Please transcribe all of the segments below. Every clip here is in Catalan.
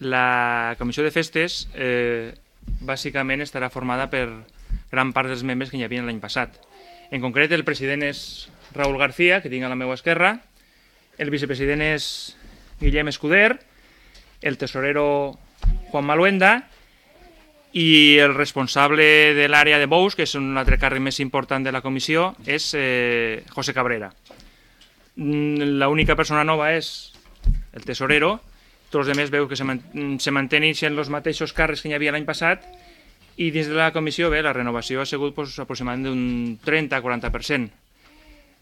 La comissió de festes bàsicament estarà formada per gran part dels membres que hi havia l'any passat. En concret, el president és Raúl García, que tinc a la meva esquerra, el vicepresident és Guillem Escuder, el tesorero Juan Maluenda i el responsable de l'àrea de bous, que és un altre càrrec més important de la comissió, és José Cabrera. L'única persona nova és el tesorero. Tots els altres veu que se mantenen sent els mateixos càrrecs que hi havia l'any passat, i dins de la comissió la renovació ha sigut aproximadament d'un 30-40%.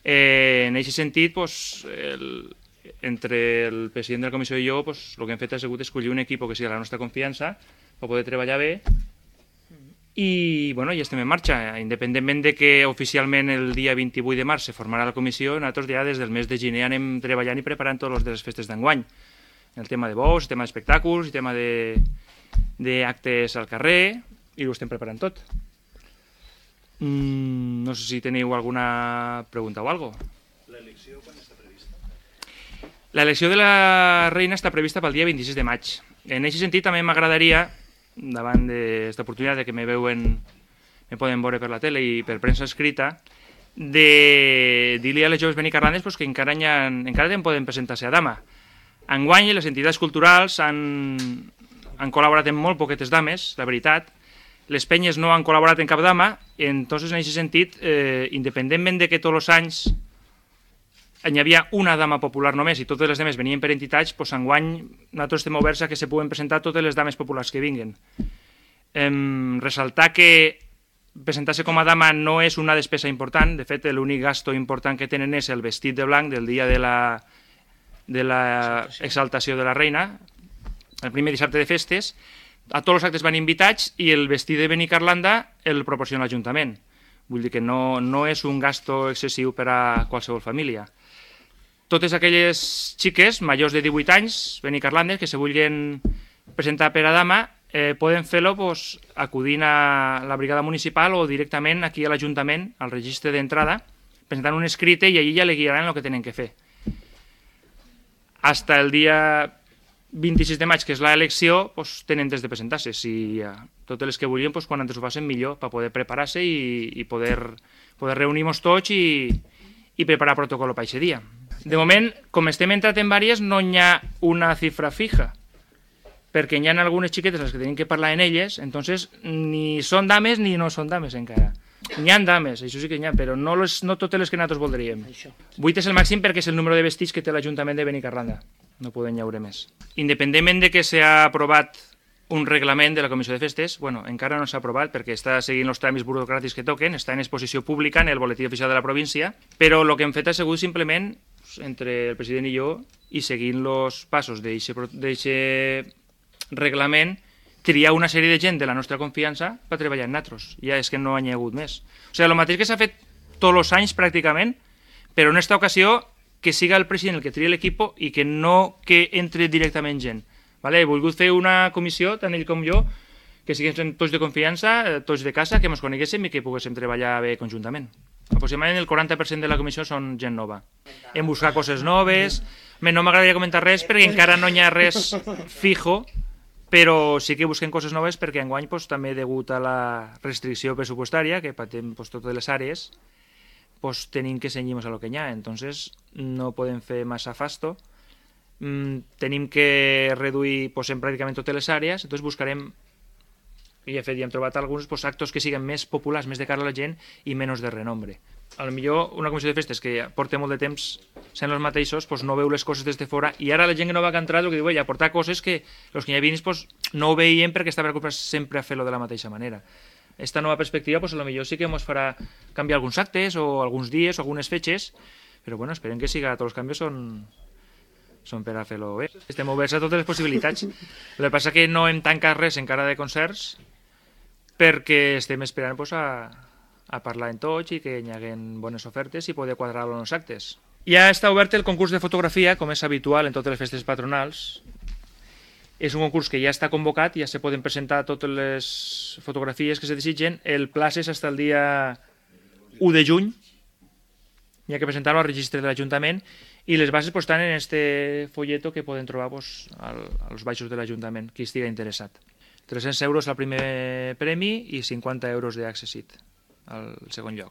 En aquest sentit, entre el president de la comissió i jo, el que hem fet ha sigut escollir un equip que sigui de la nostra confiança per poder treballar bé, i ja estem en marxa. Independentment de que oficialment el dia 28 de març se formarà la comissió, nosaltres ja des del mes de gener anem treballant i preparant tots els de les festes d'enguany. El tema de bous, el tema d'espectacles, el tema d'actes al carrer, i ho estem preparant tot. No sé si teniu alguna pregunta o alguna cosa. L'elecció quan està prevista? L'elecció de la reina està prevista pel dia 26 de maig. En aquest sentit també m'agradaria, davant d'aquesta oportunitat que me poden veure per la tele i per premsa escrita, de dir-li a les joves benicarlandes que encara poden presentar-se a dama. Enguany les entitats culturals han col·laborat amb molt poquetes dames, la veritat. Les penyes no han col·laborat en cap dama, entonces en aquest sentit, independentment de que tots els anys hi havia una dama popular només i totes les dames venien per entitats, enguany nosaltres estem oberts a que se puguen presentar totes les dames populars que vinguen. Ressaltar que presentar-se com a dama no és una despesa important, de fet l'únic gasto important que tenen és el vestit de blanc del dia de la exaltació de la reina, el primer dissabte de festes. A tots els actes van invitats i el vestit de Benicarlanda el proporciona l'Ajuntament. Vull dir que no és un gasto excessiu per a qualsevol família. Totes aquelles xiques majors de 18 anys, benicarlandes, que se vulguin presentar per a dama, poden fer-lo acudint a la brigada municipal o directament aquí a l'Ajuntament, al registre d'entrada, presentant un escrit i allí ja li guiaran el que tenen que fer. Hasta el dia 26 de maig, que és l'elecció, tenen temps de presentar-se. Si totes les que vulguin, quan antes ho facin millor, per poder preparar-se i poder reunir-nos tots i preparar protocol per aquest dia. De moment, com estem entrat en vàries, no hi ha una xifra fija, perquè hi ha algunes xiquetes les que tenim que parlar en elles, entonces ni són dames ni no són dames encara. N'hi ha dames, això sí que n'hi ha, però no totes les que nosaltres voldríem. 8 és el màxim perquè és el número de vestits que té l'Ajuntament de Benicarlanda. No poden haure més. Independentment de que s'ha aprovat un reglament de la Comissió de Festes, encara no s'ha aprovat perquè està seguint els tràmits burocràtics que toquen, està en exposició pública en el boletí oficial de la província, però el que hem fet ha sigut simplement, entre el president i jo, i seguint els passos d'aquest reglament, triar una sèrie de gent de la nostra confiança per treballar en nosaltres. Ja és que no hi ha hagut més. O sigui, el mateix que s'ha fet tots els anys pràcticament, però en aquesta ocasió que siga el president el que tria l'equip i que no que entre directament gent. He volgut fer una comissió, tant ell com jo, que siguem tots de confiança, tots de casa, que ens coneguéssim i que poguéssim treballar bé conjuntament. Aproximadament el 40% de la comissió són gent nova. Hem buscat coses noves. No m'agradaria comentar res perquè encara no hi ha res fijo, però sí que busquem coses noves perquè enguany també degut a la restricció pressupostària que patim totes les àrees, tenim que cenyir-nos a lo que hi ha, entonces no podem fer massa fasto, tenim que reduir en pràcticament totes les àrees, entonces buscarem, i de fet ja hem trobat alguns actos que siguin més populars, més de cara a la gent i menys de renombre. A lo millor una comissió de festes que porta molt de temps sent els mateixos, no veu les coses des de fora, i ara la gent que no va entrar el que diu, aportar coses que els que hi havien no ho veien perquè estaven acostumats sempre a fer-lo de la mateixa manera. Esta nova perspectiva, a lo millor sí que ens farà canviar alguns actes o alguns dies o algunes fetges, però esperem que tots els canvis són per a fer-lo bé. Estem oberts a totes les possibilitats. El que passa que no hem tancat res encara de concerts perquè estem esperant a parlar en tots i que hi hagi bones ofertes i poder quadrar-lo en els actes. Ja està obert el concurs de fotografia, com és habitual en totes les festes patronals. És un concurs que ja està convocat, ja se poden presentar totes les fotografies que se desitgen. El plaç és fins al dia 1 de juny, hi ha que presentar-lo al registre de l'Ajuntament, I les bases pues, estan en este folleto que poden trobar pues, als baixos de l'Ajuntament, qui estigui interessat. 300 euros al primer premi i 50 euros d'Accessit al segon lloc.